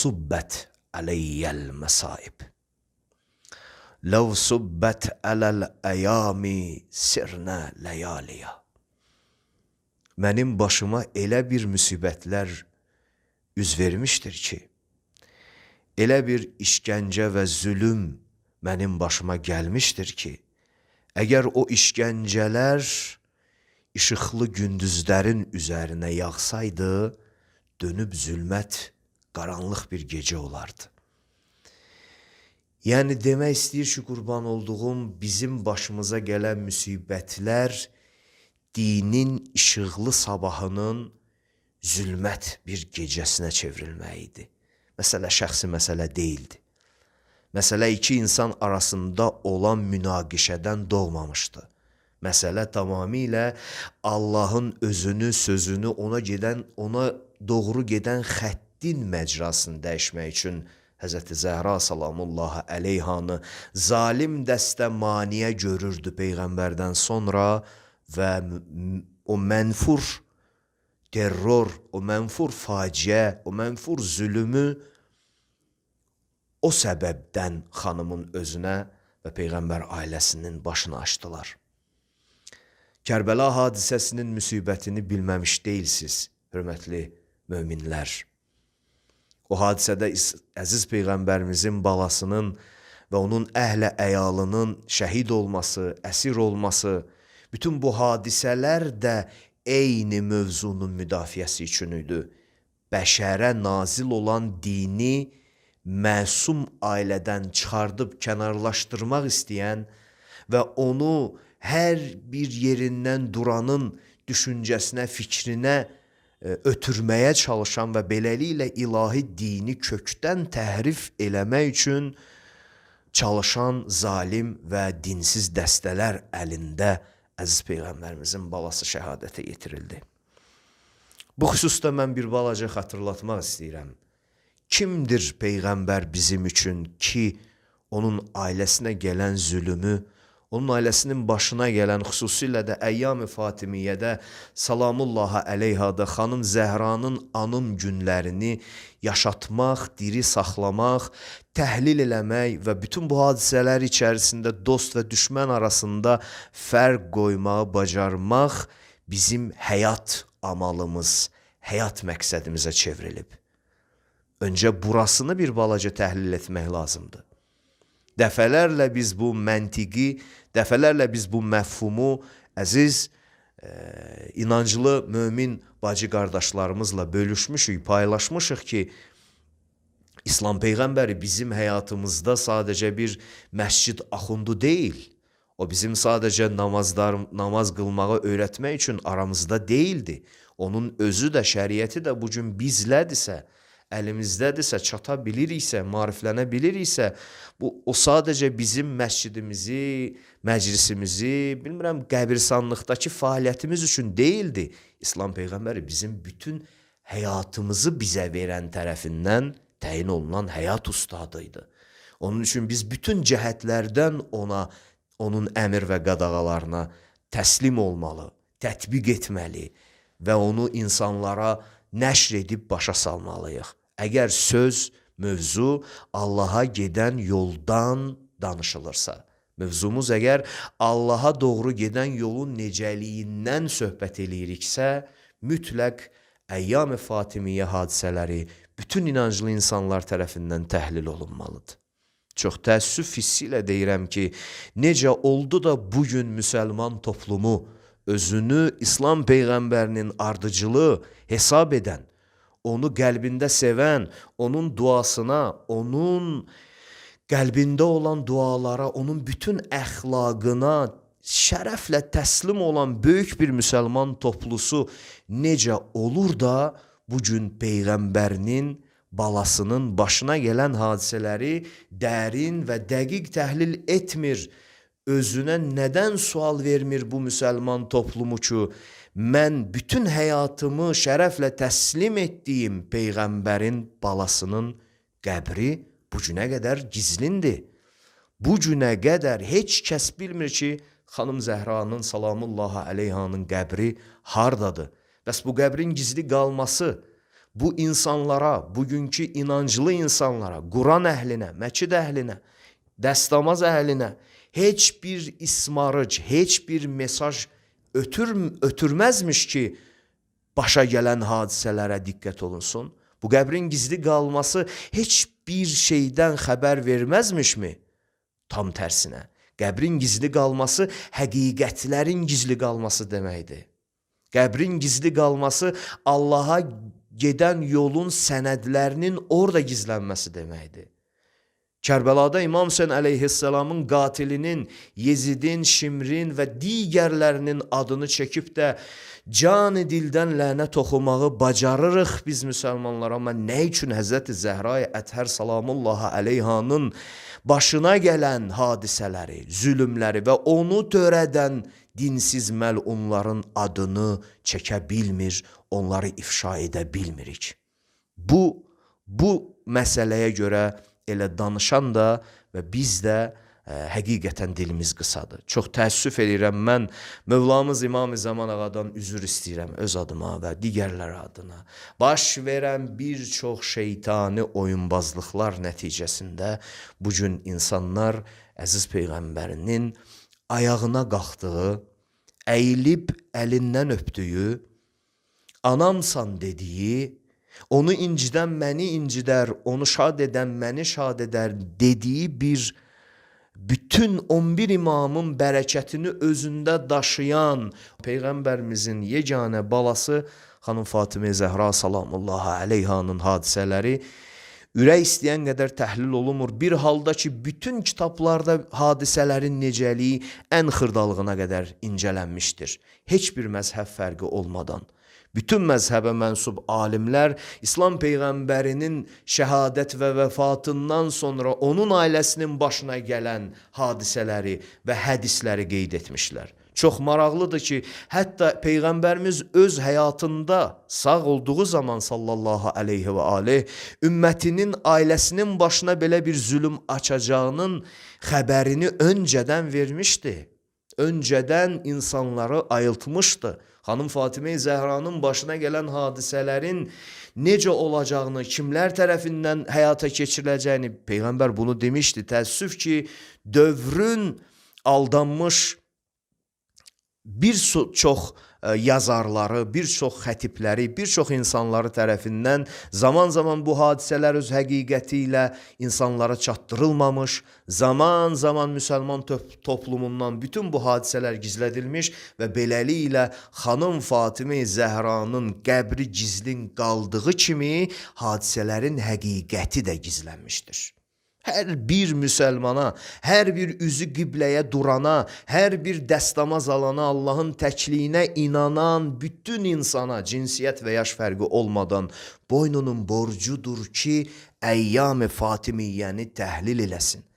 subbet aleyyel mesaib. Lev subbet alel eyami sirne leyaliya. Mənim başıma elə bir müsibətlər üz vermişdir ki, elə bir işgəncə və zülüm mənim başıma gəlmişdir ki, əgər o işgəncələr işıqlı gündüzlərin üzərinə yağsaydı, dönüb zülmət, qaranlıq bir gecə olardı. Yəni demək istəyir ki, qurban olduğum bizim başımıza gələn müsibətlər dinin işıqlı sabahının zülmət bir gecəsinə çevrilməyidir. Məsələ şəxsi məsələ deyildi. Məsələ iki insan arasında olan münaqişədən doğmamışdı. Məsələ tamamilə Allahın özünü, sözünü ona doğru gedən xəttin məcrasını dəyişmək üçün Həzrəti Zəhra salamullahi əleyhanı zalim dəstə maniyə görürdü Peyğəmbərdən sonra və o mənfur terror, o mənfur faciə, o mənfur zülümü o səbəbdən xanımın özünə və Peyğəmbər ailəsinin başını açdılar. Kərbəla hadisəsinin müsibətini bilməmiş deyilsiz, hörmətli möminlər. O hadisədə əziz Peyğəmbərimizin balasının və onun əhlə əyalının şəhid olması, əsir olması, bütün bu hadisələr də eyni mövzunun müdafiəsi üçün idi. Bəşərə nazil olan dini məsum ailədən çıxardıb kənarlaşdırmaq istəyən və onu hər bir yerindən duranın düşüncəsinə, fikrinə ötürməyə çalışan və beləliklə ilahi dini kökdən təhrif eləmək üçün çalışan zalim və dinsiz dəstələr əlində əziz Peyğəmbərimizin balası şəhadətə yetirildi. Bu xüsusda mən bir balaca xatırlatmaq istəyirəm. Kimdir Peyğəmbər bizim üçün ki, onun ailəsinə gələn zülümü, onun ailəsinin başına gələn xüsusilə də Əyyam-ı Fatimiyyədə salamullahi əleyhada xanım Zəhranın anım günlərini yaşatmaq, diri saxlamaq, təhlil eləmək və bütün bu hadisələr içərisində dost və düşmən arasında fərq qoymağı bacarmaq bizim həyat amalımız, həyat məqsədimizə çevrilib. Öncə burasını bir balaca təhlil etmək lazımdır. Dəfələrlə biz bu məntiqi, dəfələrlə biz bu məfhumu əziz, inanclı, mömin bacı qardaşlarımızla bölüşmüşük, paylaşmışıq ki, İslam Peyğəmbəri bizim həyatımızda sadəcə bir məscid axundu deyil. O bizim sadəcə namaz qılmağı öyrətmək üçün aramızda deyildi. Onun özü də, şəriəti də bugün bizlədirsə, əlimizdədirsə, çata biliriksə, mariflənə biliriksə, o sadəcə bizim məscidimizi, məclisimizi, bilmirəm, qəbirstanlıqdakı fəaliyyətimiz üçün deyildi. İslam Peyğəmbəri bizim bütün həyatımızı bizə verən tərəfindən təyin olunan həyat ustadıydı. Onun üçün biz bütün cəhətlərdən onun əmr və qadağalarına təslim olmalı, tətbiq etməli və onu insanlara nəşr edib başa salmalıyıq. Əgər söz, mövzu Allaha gedən yoldan danışılırsa, mövzumuz əgər Allaha doğru gedən yolun necəliyindən söhbət eləyiriksə, mütləq Əyyam-ı Fatimiyyə hadisələri bütün inanclı insanlar tərəfindən təhlil olunmalıdır. Çox təəssüf hissi ilə deyirəm ki, necə oldu da bugün müsəlman toplumu özünü İslam Peyğəmbərinin ardıcılığı hesab edən, onu qəlbində sevən, onun duasına, onun qəlbində olan dualara, onun bütün əxlaqına şərəflə təslim olan böyük bir müsəlman toplusu necə olur da bugün Peyğəmbərinin balasının başına gələn hadisələri dərin və dəqiq təhlil etmir. Özünə nədən sual vermir bu müsəlman toplumu ki, mən bütün həyatımı şərəflə təslim etdiyim Peyğəmbərin balasının qəbri bu günə qədər gizlindir. Bu günə qədər heç kəs bilmir ki, xanım Zəhranın salamullahi əleyhanın qəbri hardadır. Bəs bu qəbrin gizli qalması, bu insanlara, bugünkü inanclı insanlara, Quran əhlinə, Məkid əhlinə, dəstəmaz əhlinə heç bir ismarıc, heç bir mesaj ötürməzmiş ki, başa gələn hadisələrə diqqət olunsun. Bu qəbrin gizli qalması heç bir şeydən xəbər verməzmişmi? Tam tərsinə. Qəbrin gizli qalması həqiqətlərin gizli qalması deməkdir. Qəbrin gizli qalması Allaha gedən yolun sənədlərinin orada gizlənməsi deməkdir. Kərbəlada İmam Hüseyn əleyhisselamın qatilinin, Yezidin, Şimrin və digərlərinin adını çəkib də can-ı dildən lənət oxumağı bacarırıq biz müsəlmanlar. Amma nə üçün Həzrəti Zəhra-i Ətər salamullahi əleyhanın başına gələn hadisələri, zülümləri və onu törədən dinsiz məlunların adını çəkə bilmir, onları ifşa edə bilmirik. Bu məsələyə görə elə danışan da və biz də həqiqətən dilimiz qısadır. Çox təəssüf edirəm, mən Mövlamız İmam-ı Zaman ağadan üzr istəyirəm öz adıma və digərləri adına. Baş verən bir çox şeytani oyunbazlıqlar nəticəsində bugün insanlar əziz Peyğəmbərinin ayağına qalxdığı, əyilib əlindən öpdüyü, anamsan dediyi, onu incidən məni incidər, onu şad edən məni şad edər dediyi bir bütün 11 imamın bərəkətini özündə daşıyan Peyğəmbərimizin yeganə balası xanım Fatimə Zəhra salamullahi əleyhanın hadisələri ürək istəyən qədər təhlil olunmur. Bir halda ki, bütün kitablarda hadisələrin necəliyi ən xırdalığına qədər incələnmişdir. Heç bir məzhəb fərqi olmadan. Bütün məzhəbə mənsub alimlər İslam Peyğəmbərinin şəhadət və vəfatından sonra onun ailəsinin başına gələn hadisələri və hədisləri qeyd etmişlər. Çox maraqlıdır ki, hətta Peyğəmbərimiz öz həyatında sağ olduğu zaman sallallahu aleyhi və aleyh ümmətinin ailəsinin başına belə bir zülüm açacağının xəbərini öncədən vermişdi. Öncədən insanları ayıltmışdı. Xanım Fatimə Zəhranın başına gələn hadisələrin necə olacağını, kimlər tərəfindən həyata keçiriləcəyini Peyğəmbər bunu demişdi. Təəssüf ki, dövrün aldanmış bir çox yazarları, bir çox xətibləri, bir çox insanları tərəfindən zaman-zaman bu hadisələr öz həqiqəti ilə insanlara çatdırılmamış, zaman-zaman müsəlman toplumundan bütün bu hadisələr gizlədilmiş və beləliklə xanım Fatimə Zəhranın qəbri gizlin qaldığı kimi hadisələrin həqiqəti də gizlənmişdir. Hər bir müsəlmana, hər bir üzü qibləyə durana, hər bir dəstəmaz alana, Allahın təkliyinə inanan bütün insana cinsiyyət və yaş fərqi olmadan boynunun borcudur ki, Əyyam-ı Fatimiyyəni təhlil eləsin.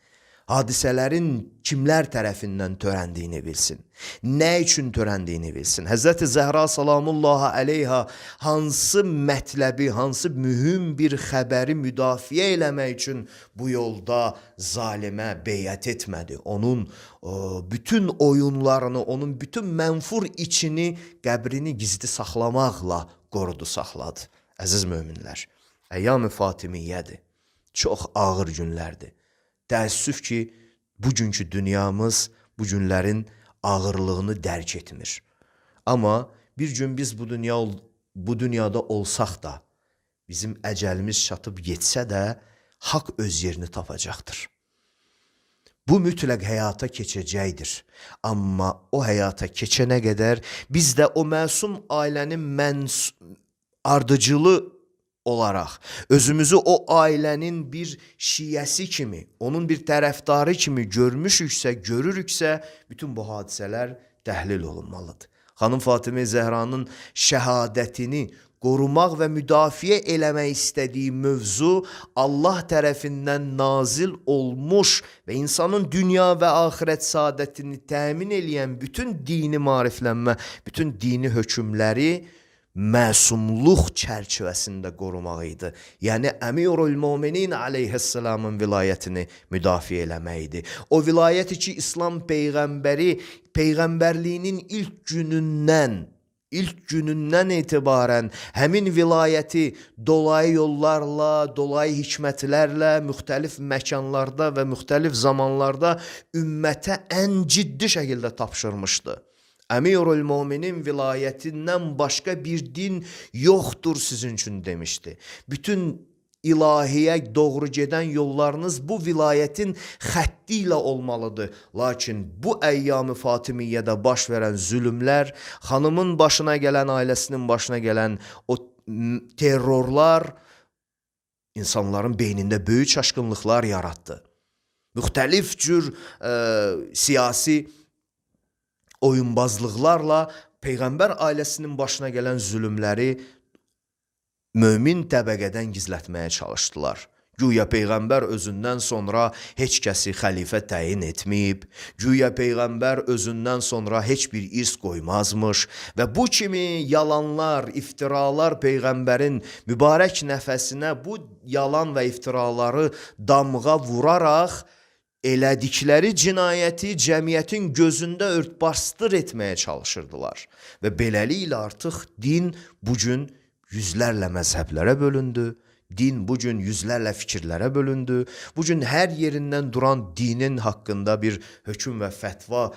Hadisələrin kimlər tərəfindən törəndiyini bilsin. Nə üçün törəndiyini bilsin. Həzrəti Zəhra salamullahi əleyha hansı mətləbi, hansı mühüm bir xəbəri müdafiə eləmək üçün bu yolda zalimə beyət etmədi. Onun bütün oyunlarını, onun bütün mənfur içini, qəbrini gizli saxlamaqla qorudu, saxladı. Əziz möminlər, Əyyam-ı Fatimiyyədir. Çox ağır günlərdir. Təəssüf ki, bugünkü dünyamız bu günlərin ağırlığını dərk etmir. Amma bir gün biz bu dünyada olsaq da, bizim əcəlimiz çatıb getsə də, haqq öz yerini tapacaqdır. Bu mütləq həyata keçəcəkdir. Amma o həyata keçənə qədər biz də o məsum ailənin ardıcılı olaraq özümüzü o ailənin bir şiyəsi kimi, onun bir tərəfdarı kimi görmüşüksə, görürüksə, bütün bu hadisələr təhlil olunmalıdır. Xanım Fatimə Zəhranın şəhadətini qorumaq və müdafiə eləmək istədiyi mövzu Allah tərəfindən nazil olmuş və insanın dünya və axirət saadətini təmin eləyən bütün dini maariflənmə, bütün dini hökmləri məsumluq çərçivəsində qorumaq idi. Yəni Əmirul Möminin aleyhisselamın vilayətini müdafiə eləmək idi. O vilayəti ki, İslam Peyğəmbəri Peyğəmbərliyinin ilk günündən, ilk günündən etibarən həmin vilayəti dolayı yollarla, dolayı hikmətlərlə, müxtəlif məkanlarda və müxtəlif zamanlarda ümmətə ən ciddi şəkildə tapşırmışdı. Əmirül Möminin vilayətindən başqa bir din yoxdur sizin üçün demişdi. Bütün ilahiyə doğru gedən yollarınız bu vilayətin xətti ilə olmalıdır. Lakin bu əyyam-ı Fatimiyyədə baş verən zülümlər, xanımın başına gələn, ailəsinin başına gələn o terrorlar insanların beynində böyük çaşqınlıqlar yaratdı. Müxtəlif cür siyasi oyunbazlıqlarla Peyğəmbər ailəsinin başına gələn zülümləri mömin təbəqədən gizlətməyə çalışdılar. Güya Peyğəmbər özündən sonra heç kəsi xəlifə təyin etməyib, güya Peyğəmbər özündən sonra heç bir irs qoymazmış və bu kimi yalanlar, iftiralar Peyğəmbərin mübarək nəfəsinə bu yalan və iftiraları damğa vuraraq elədikləri cinayəti cəmiyyətin gözündə örtbasdır etməyə çalışırdılar. Və beləliklə artıq din bugün yüzlərlə məzhəblərə bölündü, din bugün yüzlərlə fikirlərə bölündü, bugün hər yerindən duran dinin haqqında bir hökm və fətva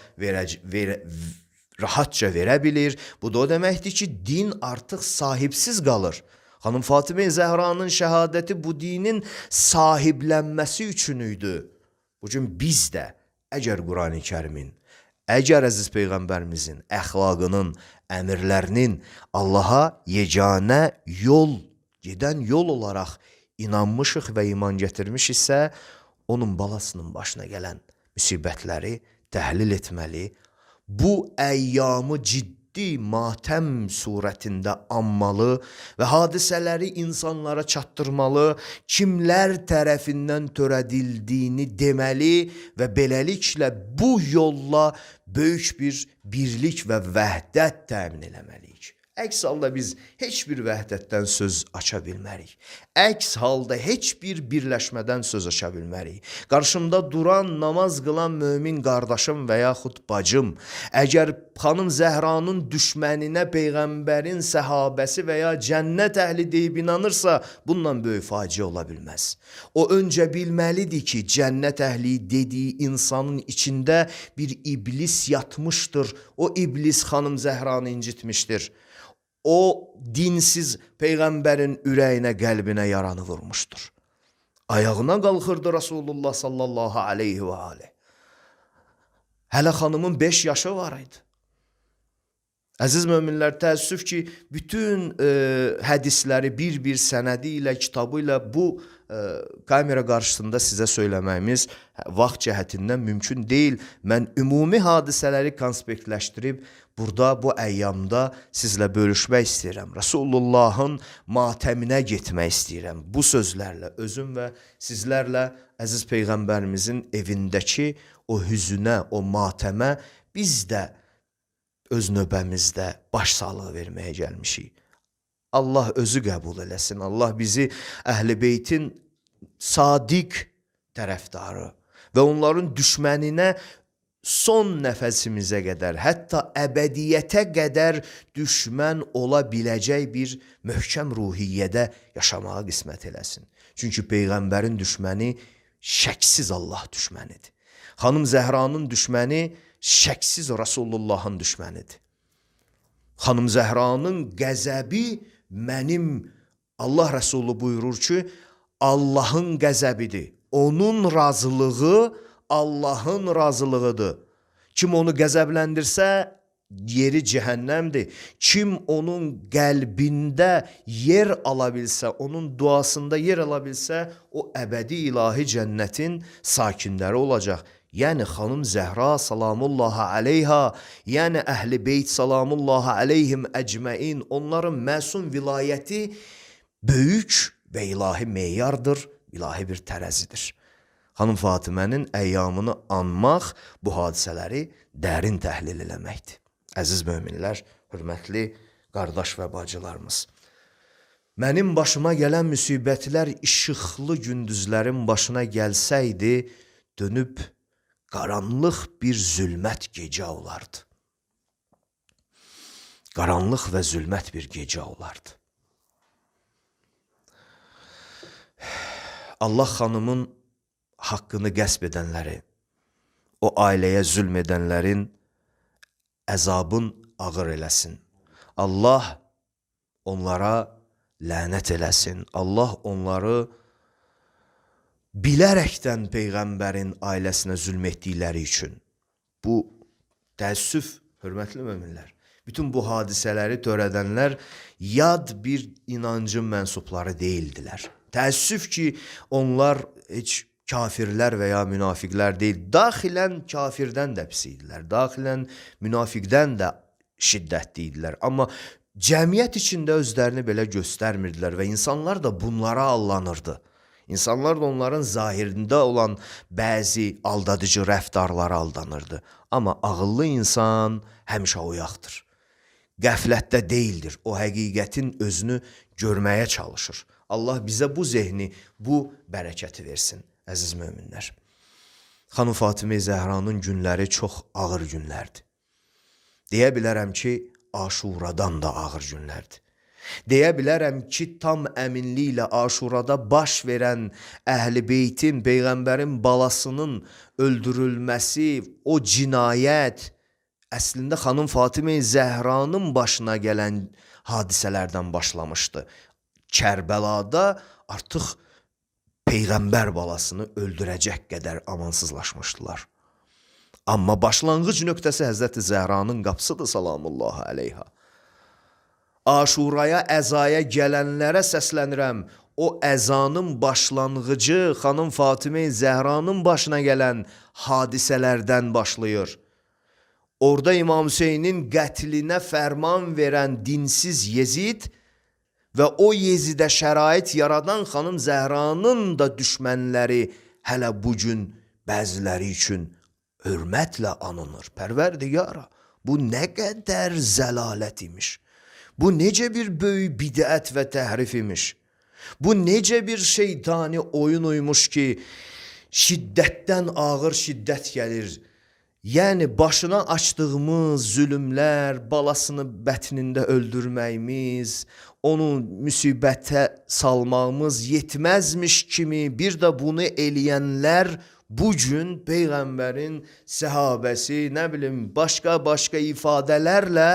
rahatca verə bilir. Bu da o deməkdir ki, din artıq sahibsiz qalır. Xanım Fatimə Zəhranın şəhadəti bu dinin sahiblənməsi üçün idi. Bugün biz də əgər Qurani Kərimin, əgər əziz Peyğəmbərimizin əxlaqının, əmirlərinin Allaha yeganə yol, gedən yol olaraq inanmışıq və iman gətirmişiksə, onun balasının başına gələn müsibətləri təhlil etməli, bu əyyamı ciddi matəm surətində anmalı və hadisələri insanlara çatdırmalı, kimlər tərəfindən törədildiyini deməli və beləliklə bu yolla böyük bir birlik və vəhdət təmin eləməliyik. Əks halda biz heç bir vəhdətdən söz aça bilmərik. Əks halda heç bir birləşmədən söz aça bilmərik. Qarşımda duran, namaz qılan mömin qardaşım və yaxud bacım, əgər xanım Zəhranın düşməninə Peyğəmbərin səhabəsi və ya cənnət əhli deyib inanırsa, bundan böyük faciə ola bilməz. O öncə bilməlidir ki, cənnət əhli dediyi insanın içində bir iblis yatmışdır. O iblis xanım Zəhranı incitmişdir. O dinsiz Peyğəmbərin ürəyinə, qəlbinə yaranı vurmuşdur. Ayağına qalxırdı Rasulullah sallallahu aleyhi və aleyh. Hələ xanımın 5 yaşı var idi. Əziz möminlər, təəssüf ki, bütün hədisləri bir-bir sənədi ilə, kitabı ilə bu kamera qarşısında sizə söyləməyimiz vaxt cəhətindən mümkün deyil. Mən ümumi hadisələri konspektləşdirib burada bu əyyamda sizlə bölüşmək istəyirəm. Rasulullahın matəminə getmək istəyirəm. Bu sözlərlə özüm və sizlərlə əziz Peyğəmbərimizin evindəki o hüzünə, o matəmə biz də öz növbəmizdə başsağlığı verməyə gəlmişik. Allah özü qəbul eləsin. Allah bizi Əhl-i Beytin sadiq tərəfdarı və onların düşməninə son nəfəsimizə qədər, hətta əbədiyyətə qədər düşmən ola biləcək bir möhkəm ruhiyyədə yaşamağa qismət eləsin. Çünki Peyğəmbərin düşməni şəksiz Allah düşmənidir. Xanım Zəhranın düşməni şəksiz Rasulullahın düşmənidir. Xanım Zəhranın qəzəbi mənim, Allah Rəsulü buyurur ki, Allahın qəzəbidir. Onun razılığı Allahın razılığıdır. Kim onu qəzəbləndirsə, yeri cəhənnəmdir. Kim onun qəlbində yer ala bilsə, onun duasında yer ala bilsə, o əbədi ilahi cənnətin sakinləri olacaq. Yəni xanım Zəhra salamullahi aleyha, yəni Əhl-i Beyt salamullahi aleyhim əcməin, onların məsum vilayəti böyük və ilahi meyardır, ilahi bir tərəzidir. Xanım Fatimənin əyyamını anmaq bu hadisələri dərin təhlil eləməkdir. Əziz möminlər, hörmətli qardaş və bacılarımız, mənim başıma gələn müsibətlər işıqlı gündüzlərin başına gəlsəydi, dönüb qaranlıq bir zülmət gecə olardı. qaranlıq və zülmət bir gecə olardı. Allah xanımın haqqını qəsb edənləri, o ailəyə zülm edənlərin əzabın ağır eləsin. Allah onlara lənət eləsin. Allah onları bilərəkdən Peyğəmbərin ailəsinə zülm etdikləri üçün. Bu təəssüf, hörmətli möminlər. Bütün bu hadisələri törədənlər yad bir inancın mənsubları deyildilər. Təəssüf ki, onlar heç kafirlər və ya münafiqlər deyil. Daxilən kafirdən də pis idilər. Daxilən münafiqdən də şiddətli idilər. Amma cəmiyyət içində özlərini belə göstərmirdilər və insanlar da bunlara allanırdı. İnsanlar da onların zahirində olan bəzi aldadıcı rəftarlara aldanırdı. Amma ağıllı insan həmişə oyaqdır. Qəflətdə deyildir. O həqiqətin özünü görməyə çalışır. Allah bizə bu zehni, bu bərəkəti versin, əziz möminlər. Xanım Fatimə Zəhranın günləri çox ağır günlərdir. Deyə bilərəm ki, Aşuradan da ağır günlərdir. Deyə bilərəm ki, tam əminliklə Aşurada baş verən Əhl-i Beytin, Peyğəmbərin balasının öldürülməsi, o cinayət əslində xanım Fatimə Zəhranın başına gələn hadisələrdən başlamışdı. Kərbəlada artıq Peyğəmbər balasını öldürəcək qədər amansızlaşmışdılar. Amma başlanğıc nöqtəsi Həzrəti Zəhranın qapısıdır, salamullahi əleyha. Aşuraya, əzaya gələnlərə səslənirəm. O əzanın başlanğıcı xanım Fatimə Zəhranın başına gələn hadisələrdən başlayır. Orada İmam Hüseynin qətlinə fərman verən dinsiz Yezid və o Yezidə şərait yaradan xanım Zəhranın da düşmənləri hələ bugün bəziləri üçün hörmətlə anılır. Pərverdigara, bu nə qədər zəlalət imiş. Bu necə bir böyük bidət və təhrif imiş. Bu necə bir şeytani oyun uymuş ki, şiddətdən ağır şiddət gəlir. Yəni başına açdığımız zülümlər, balasını bətnində öldürməyimiz, onu müsibətə salmağımız yetməzmiş kimi bir də bunu eləyənlər bugün Peyğəmbərin səhabəsi, nə bilim, başqa ifadələrlə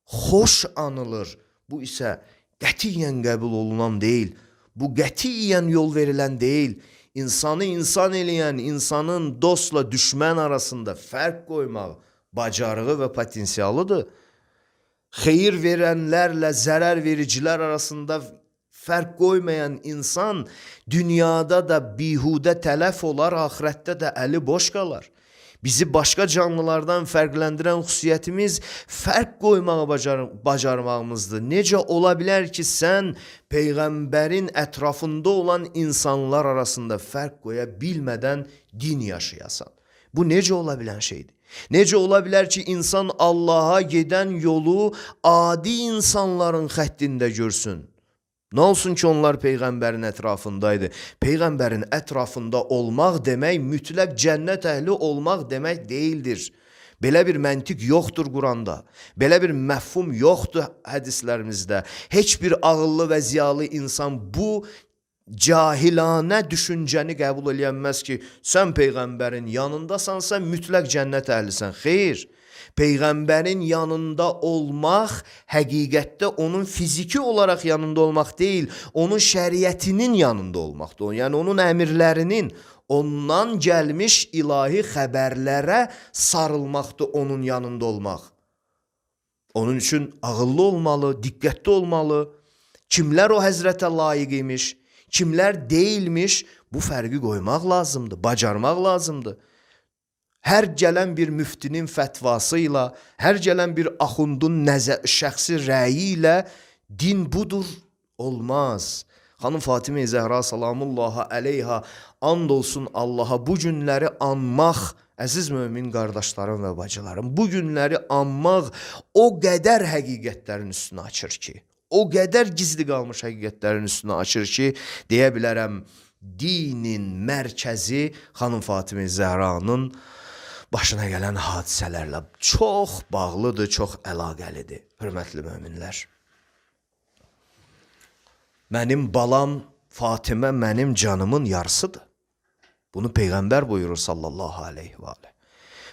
xoş anılır. Bu isə qətiyyən qəbul olunan deyil. Bu qətiyyən yol verilən deyil. İnsanı insan eləyən, insanın dostla düşmən arasında fərq qoymaq bacarığı və potensialıdır. Xeyir verənlərlə zərər vericilər arasında fərq qoymayan insan dünyada da bihudə tələf olar, axirətdə də əli boş qalar. Bizi başqa canlılardan fərqləndirən xüsusiyyətimiz fərq qoymağı bacarmağımızdır. Necə ola bilər ki, sən Peyğəmbərin ətrafında olan insanlar arasında fərq qoya bilmədən din yaşayasan? Bu necə ola bilən şeydir? Necə ola bilər ki, insan Allaha gedən yolu adi insanların xəttində görsün? Nə olsun ki, onlar Peyğəmbərin ətrafındaydı. Peyğəmbərin ətrafında olmaq demək, mütləq cənnət əhli olmaq demək deyildir. Belə bir məntiq yoxdur Quranda. Belə bir məfhum yoxdur hədislərimizdə. Heç bir ağıllı və ziyalı insan bu cahilanə düşüncəni qəbul eləyənməz ki, sən Peyğəmbərin yanındasansa mütləq cənnət əhlisən. Xeyr. Peyğəmbərin yanında olmaq həqiqətdə onun fiziki olaraq yanında olmaq deyil, onun şəriətinin yanında olmaqdır. Yəni onun əmirlərinin, ondan gəlmiş ilahi xəbərlərə sarılmaqdır onun yanında olmaq. Onun üçün ağıllı olmalı, diqqətli olmalı. Kimlər o həzrətə layiq imiş, kimlər deyilmiş, bu fərqi qoymaq lazımdır, bacarmaq lazımdır. Hər gələn bir müftinin fətvası ilə, hər gələn bir axundun şəxsi rəyi ilə din budur, olmaz. Xanım Fatimə Zəhra salamullahi əleyha and olsun Allaha bu günləri anmaq, əziz mömin qardaşlarım və bacılarım, bu günləri anmaq o qədər həqiqətlərin üstünü açır ki, o qədər gizli qalmış həqiqətlərin üstünü açır ki, deyə bilərəm, dinin mərkəzi xanım Fatimə Zəhranın başına gələn hadisələrlə çox bağlıdır, çox əlaqəlidir. hörmətli möminlər. Mənim balam Fatimə mənim canımın yarısıdır. Bunu Peyğəmbər buyurur sallallahu aleyhi və aleyh.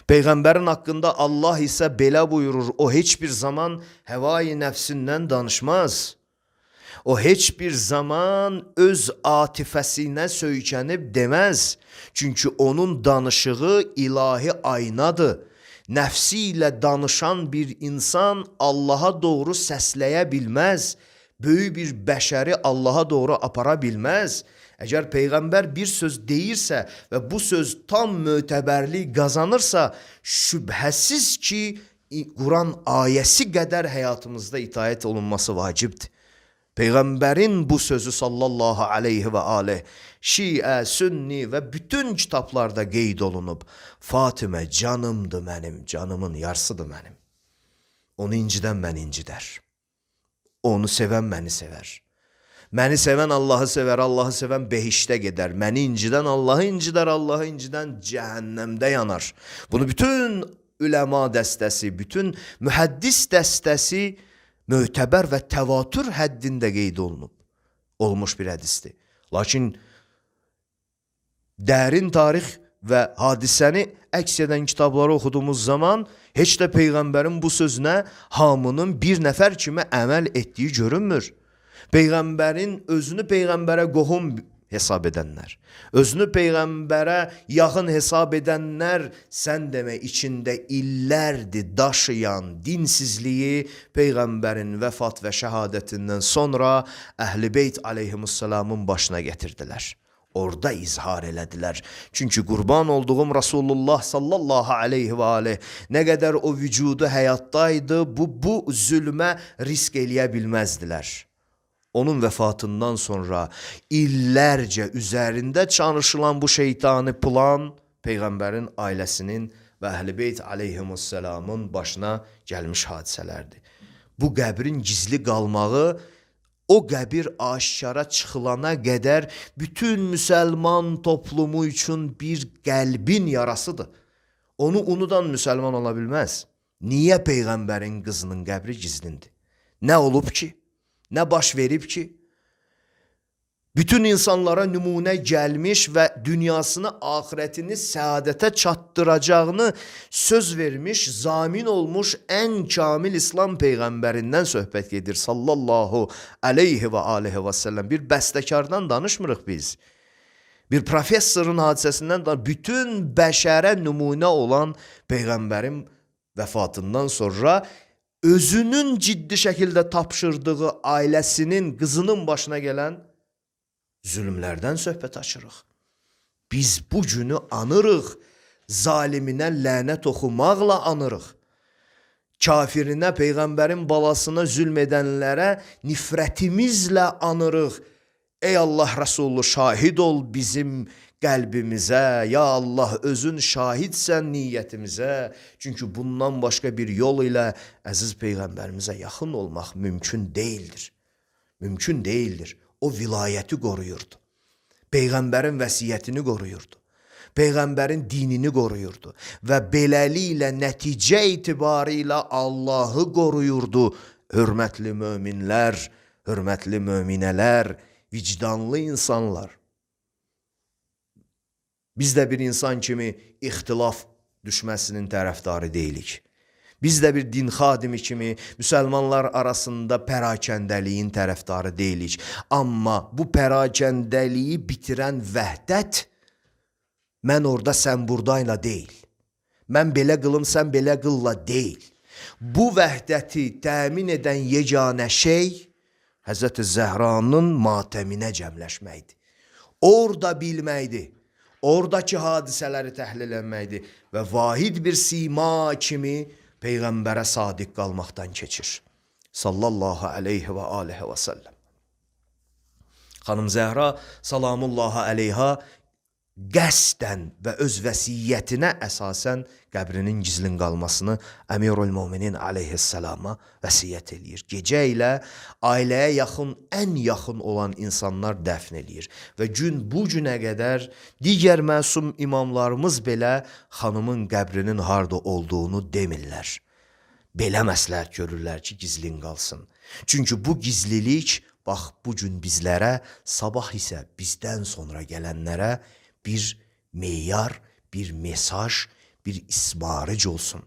Peyğəmbərin haqqında Allah isə belə buyurur, o heç bir zaman həvai nəfsindən danışmaz. O heç bir zaman öz atifəsinə söykənib deməz. Çünki onun danışığı ilahi aynadır. Nəfsi ilə danışan bir insan Allaha doğru səsləyə bilməz. Böyük bir bəşəri Allaha doğru apara bilməz. Əgər Peyğəmbər bir söz deyirsə və bu söz tam mötəbərlik qazanırsa, şübhəsiz ki, Quran ayəsi qədər həyatımızda itaət olunması vacibdir. Peyğəmbərin bu sözü sallallahu aleyhi və aleyh, Şiə, Sünni və bütün kitablarda qeyd olunub. Fatimə canımdır mənim, canımın yarısıdır mənim. Onu incidən məni incidər. Onu sevən məni sevər. Məni sevən Allahı sevər, Allahı sevən behişdə gedər. Məni incidən Allahı incidər, Allahı incidən cəhənnəmdə yanar. Bunu bütün üləma dəstəsi, bütün mühəddis dəstəsi mötəbər və təvatür həddində qeyd olunub. Olmuş bir hədisdir. Lakin dərin tarix və hadisəni əks edən kitabları oxuduğumuz zaman heç də Peyğəmbərin bu sözünə hamının bir nəfər kimi əməl etdiyi görünmür. Peyğəmbərin özünü Peyğəmbərə qohum hesab edənlər, özünü Peyğəmbərə yaxın hesab edənlər, sən demə içində illərdir daşıyan dinsizliyi Peyğəmbərin vəfat və şəhadətindən sonra Əhl-i Beyt aleyhimussalamın başına getirdilər. Orada izhar elədilər. Çünki qurban olduğum Rasulullah sallallahu aleyhi və aleyh nə qədər o vücudu həyatdaydı, bu zülmə risk eləyə bilməzdilər. Onun vəfatından sonra illərcə üzərində çalışılan bu şeytani plan Peyğəmbərin ailəsinin və Əhl-i Beyt aleyhimussalamın başına gəlmiş hadisələrdir. Bu qəbrin gizli qalmağı o qəbir aşkara çıxılana qədər bütün müsəlman toplumu üçün bir qəlbin yarasıdır. Onu unudan müsəlman ola bilməz. Niyə Peyğəmbərin qızının qəbri gizlindir? Nə olub ki? Nə baş verib ki? Bütün insanlara nümunə gəlmiş və dünyasını, axirətini səadətə çatdıracağını söz vermiş, zamin olmuş ən kamil İslam Peyğəmbərindən söhbət gedir sallallahu aleyhi və aleyhi və səlləm. Bir bəstəkardan danışmırıq biz. Bir professorun hadisəsindən da bütün bəşərə nümunə olan Peyğəmbərin vəfatından sonra özünün ciddi şəkildə tapşırdığı ailəsinin, qızının başına gələn zülmlərdən söhbət açırıq. Biz bu günü anırıq, zaliminə lənət oxumaqla anırıq. Kafirinə, Peyğəmbərin balasına zülm edənlərə nifrətimizlə anırıq. Ey Allah Rəsulü, şahid ol bizim qəlbimizə, ya Allah özün şahidsən niyyətimizə. Çünki bundan başqa bir yol ilə əziz Peyğəmbərimizə yaxın olmaq mümkün deyildir. Mümkün deyildir. O vilayəti qoruyurdu. Peyğəmbərin vəsiyyətini qoruyurdu. Peyğəmbərin dinini qoruyurdu. Və beləliklə nəticə etibarıyla Allahı qoruyurdu. Hörmətli möminlər, hörmətli möminələr, vicdanlı insanlar. Biz də bir insan kimi ixtilaf düşməsinin tərəfdarı deyilik. Biz də bir din xadimi kimi müsəlmanlar arasında pərakəndəliyin tərəfdarı deyilik. Amma bu pərakəndəliyi bitirən vəhdət, mən orada sən buradayla deyil. Mən belə qılım, sən belə qılla deyil. Bu vəhdəti təmin edən yeganə şey Həzrəti Zəhranın matəminə cəmləşməkdir. Orada bilməkdir. Oradakı hadisələri təhlil etməkdir və vahid bir sima kimi Peyğəmbərə sadiq qalmaqdan keçir. Sallallahu aleyhi və aleyhi və səlləm. Xanım Zəhra salamullahi aleyha qəsdən və öz vəsiyyətinə əsasən qəbrinin gizlin qalmasını Əmirul Möminin aleyhissalama vəsiyyət eləyir. Gecə ilə ailəyə yaxın, ən yaxın olan insanlar dəfn eləyir. Və gün bu günə qədər digər məsum imamlarımız belə xanımın qəbrinin harda olduğunu demirlər. belə məsləhət görürlər ki, gizlin qalsın. Çünki bu gizlilik, bax, bu gün bizlərə, sabah isə bizdən sonra gələnlərə bir meyar, bir mesaj, bir ismarıc olsun.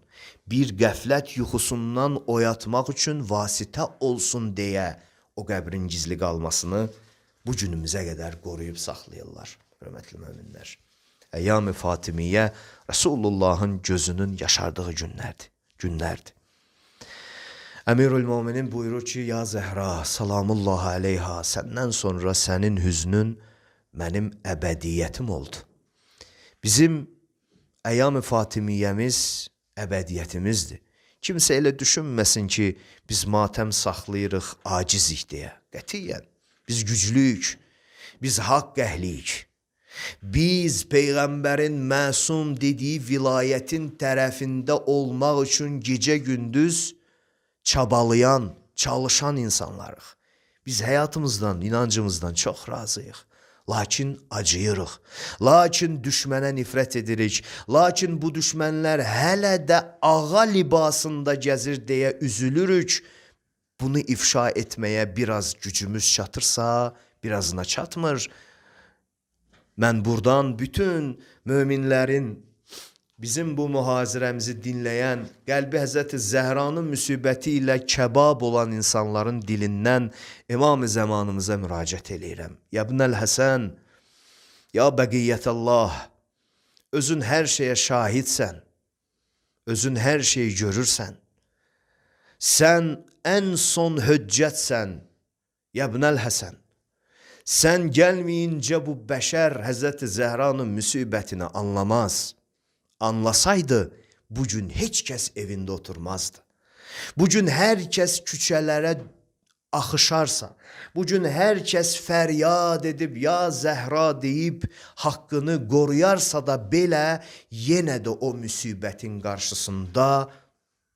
Bir qəflət yuxusundan oyatmaq üçün vasitə olsun deyə o qəbrin gizli qalmasını bu günümüzə qədər qoruyub saxlayırlar, hörmətli möminlər. Əyyam-ı Fatimiyyə Resulullahın gözünün yaşardığı günlərdir. Əmirül-Möminin buyurur ki, ya Zəhra, salamullah aleyha, səndən sonra sənin hüznün mənim əbədiyyətim oldu. Bizim Əyyam-ı Fatimiyyəmiz əbədiyyətimizdir. Kimsə elə düşünməsin ki, biz matəm saxlayırıq, acizik deyə. Qətiyyən, biz güclüyük, biz haqq əhliyik. Biz Peyğəmbərin məsum dediyi vilayətin tərəfində olmaq üçün gecə-gündüz çabalayan, çalışan insanlarıq. Biz həyatımızdan, inancımızdan çox razıyıq. Lakin acıyırıq. Lakin düşmənə nifrət edirik. Lakin bu düşmənlər hələ də ağa libasında gəzir deyə üzülürük. Bunu ifşa etməyə biraz gücümüz çatırsa, birazına çatmır. Mən buradan bütün möminlərin, bizim bu mühazirəmizi dinləyən, qəlbi Həzrəti Zəhranın müsibəti ilə kəbab olan insanların dilindən İmam-ı Zəmanımıza müraciət eləyirəm. Ya İbnəl Həsən, ya Bəqiyyətəllah, özün hər şeyə şahidsən, özün hər şeyi görürsən, sən ən son höccətsən, ya İbnəl Həsən. Sən gəlməyincə bu bəşər Həzrəti Zəhranın müsibətini anlamaz. Anlasaydı, bugün heç kəs evində oturmazdı. Bugün hər kəs küçələrə axışarsa, bugün hər kəs fəryad edib, ya Zəhra deyib, haqqını qoruyarsa da belə, yenə də o müsibətin qarşısında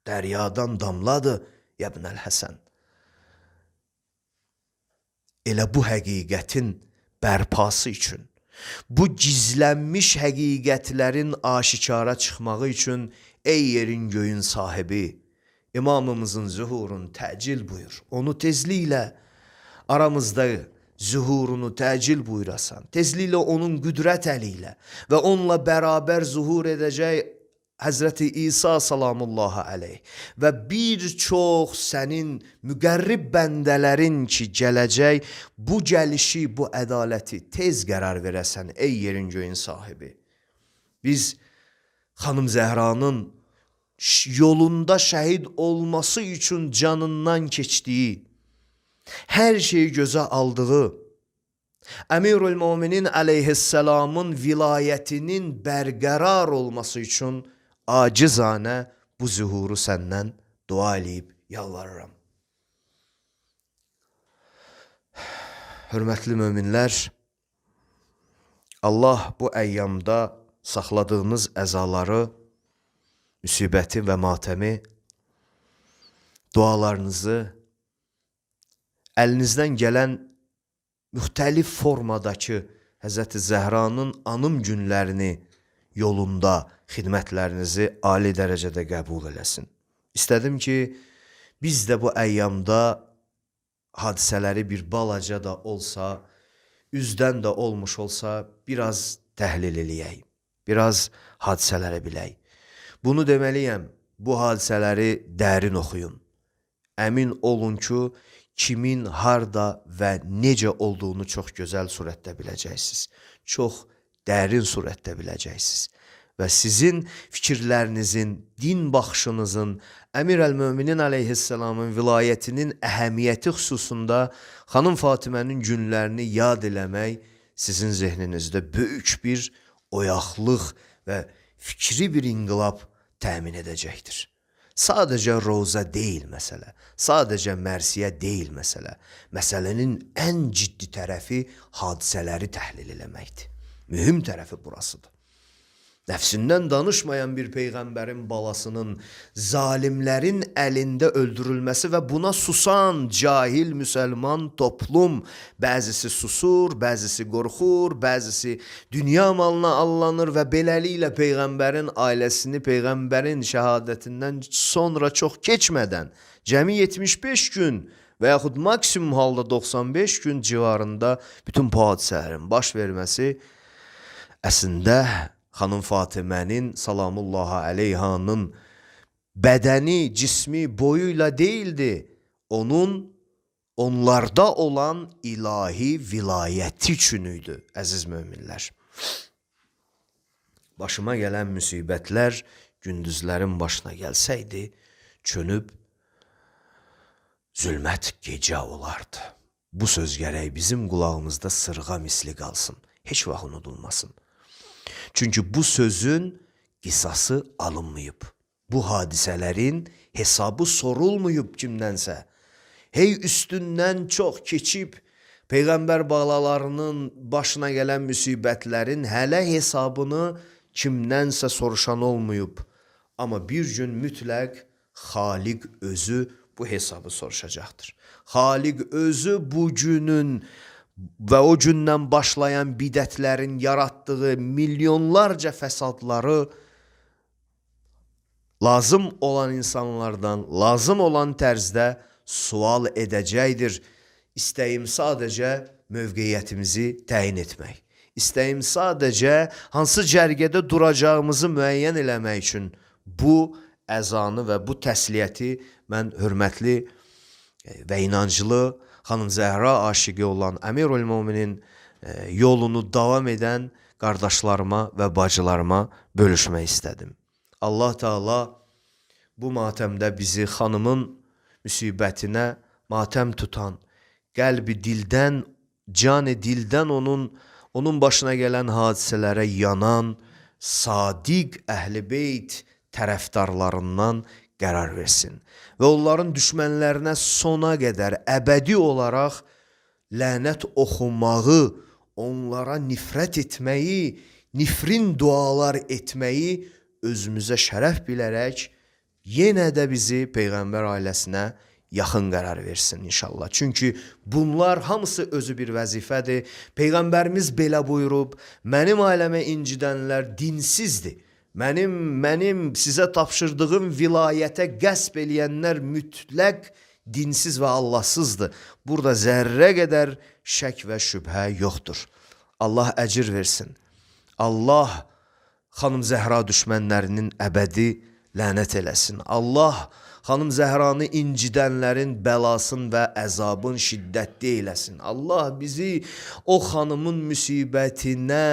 dəryadan damladı, ya İbnəl Həsən. Elə bu həqiqətin bərpası üçün, bu gizlənmiş həqiqətlərin aşikara çıxmağı üçün, ey yerin göyün sahibi, İmamımızın zühurunu təcil buyur. Onu tezliklə aramızda zühurunu təcil buyurasan, tezliklə onun qüdrət əli ilə və onunla bərabər zuhur edəcək Həzrəti İsa salamullahi aleyh və bir çox sənin müqərrib bəndələrin ki, gələcək bu gəlişi, bu ədaləti tez qərar verəsən, ey yerin göyün sahibi. Biz xanım Zəhranın yolunda şəhid olması üçün canından keçdiyi, hər şeyi gözə aldığı, Əmirül-Möminin aleyhisselamın vilayətinin bərqərar olması üçün acizanə bu zühuru səndən dua eləyib yalvarıram. Hörmətli möminlər, Allah bu əyyamda saxladığınız əzaları, müsibəti və matəmi, dualarınızı, əlinizdən gələn müxtəlif formadakı Həzrəti Zəhranın anım günlərini yolunda xidmətlərinizi ali dərəcədə qəbul eləsin. İstədim ki, biz də bu əyyamda hadisələri bir balaca da olsa, üzdən də olmuş olsa, biraz təhlil eləyək, biraz hadisələri bilək. Bunu deməliyəm, bu hadisələri dərin oxuyun. Əmin olun ki, kimin, harda və necə olduğunu çox gözəl surətdə biləcəksiniz. Çox dərin surətdə biləcəksiniz. Və sizin fikirlərinizin, din baxışınızın, Əmir-əl-Möminin aleyhisselamın vilayətinin əhəmiyyəti xüsusunda xanım Fatimənin günlərini yad eləmək sizin zehninizdə böyük bir oyaqlıq və fikri bir inqilab təmin edəcəkdir. Sadəcə roza deyil məsələ, sadəcə mərsiyə deyil məsələ. Məsələnin ən ciddi tərəfi hadisələri təhlil eləməkdir. Mühüm tərəfi burasıdır. Nəfsindən danışmayan bir peyğəmbərin balasının zalimlərin əlində öldürülməsi və buna susan cahil müsəlman toplum, bəzisi susur, bəzisi qorxur, bəzisi dünya malına allanır və beləliklə peyğəmbərin ailəsini peyğəmbərin şəhadətindən sonra çox keçmədən, cəmi 75 gün və yaxud maksimum halda 95 gün civarında bütün bu hadisələrin baş verməsi əslində Xanım Fatimənin salamullahi aleyhanın bədəni, cismi, boyuyla deyildi. Onlarda olan ilahi vilayəti üçün idi, əziz möminlər. Başıma gələn müsibətlər gündüzlərin başına gəlsəydi, çönüb zülmət gecə olardı. Bu söz gərək bizim qulağımızda sırğa misli qalsın, heç vaxt unudulmasın. Çünki bu sözün qisası alınmayıb. Bu hadisələrin hesabı sorulmayıb kimdənsə. Hey üstündən çox keçib, Peyğəmbər balalarının başına gələn müsibətlərin hələ hesabını kimdənsə soruşan olmayıb. Amma bir gün mütləq Xaliq özü bu hesabı soruşacaqdır. Xaliq özü bu günün və o gündən başlayan bidətlərin yaratdığı milyonlarca fəsadları lazım olan insanlardan, lazım olan tərzdə sual edəcəkdir. İstəyim sadəcə mövqeyyətimizi təyin etmək. İstəyim sadəcə hansı cərgədə duracağımızı müəyyən eləmək üçün bu əzanı və bu təsliyyəti mən hörmətli və inanclı Xanım Zəhra aşiqi olan Əmirül Möminin yolunu davam edən qardaşlarıma və bacılarıma bölüşmək istədim. Allah Teala bu matəmdə bizi xanımın müsibətinə matəm tutan, qəlbi dildən, canı dildən onun başına gələn hadisələrə yanan, sadiq əhl-i beyt tərəfdarlarından qərar versin. Və onların düşmənlərinə sona qədər əbədi olaraq lənət oxumağı, onlara nifrət etməyi, nifrin dualar etməyi özümüzə şərəf bilərək yenə də bizi Peyğəmbər ailəsinə yaxın qərar versin inşallah. Çünki bunlar hamısı özü bir vəzifədir. Peyğəmbərimiz belə buyurub, mənim ailəmə incidənlər dinsizdir. Mənim sizə tapşırdığım vilayətə qəsb eləyənlər mütləq dinsiz və Allahsızdır. Burada zərrə qədər şək və şübhə yoxdur. Allah əcir versin. Allah Xanım Zəhra düşmənlərinin əbədi lənət eləsin. Allah Xanım Zəhranı incidənlərin bəlasın və əzabın şiddətli eləsin. Allah bizi o xanımın müsibətinə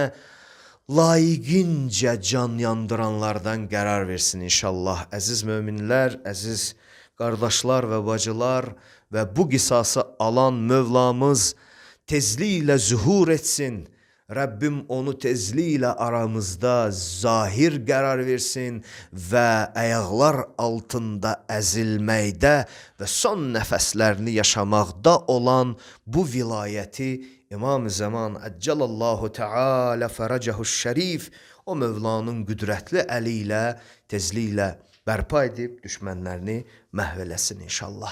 layiqincə can yandıranlardan qərar versin inşallah. Əziz möminlər, əziz qardaşlar və bacılar və bu qisası alan Mövlamız tezliklə zühur etsin. Rəbbim onu tezliklə aramızda zahir qərar versin və ayaqlar altında əzilməkdə və son nəfəslərini yaşamaqda olan bu vilayəti İmam-ı Zaman Əccalallahu Teala fərəcəhu şərif o Mövlanın qüdrətli əli ilə tezliklə bərpa edib düşmənlərini məhv eləsin inşallah.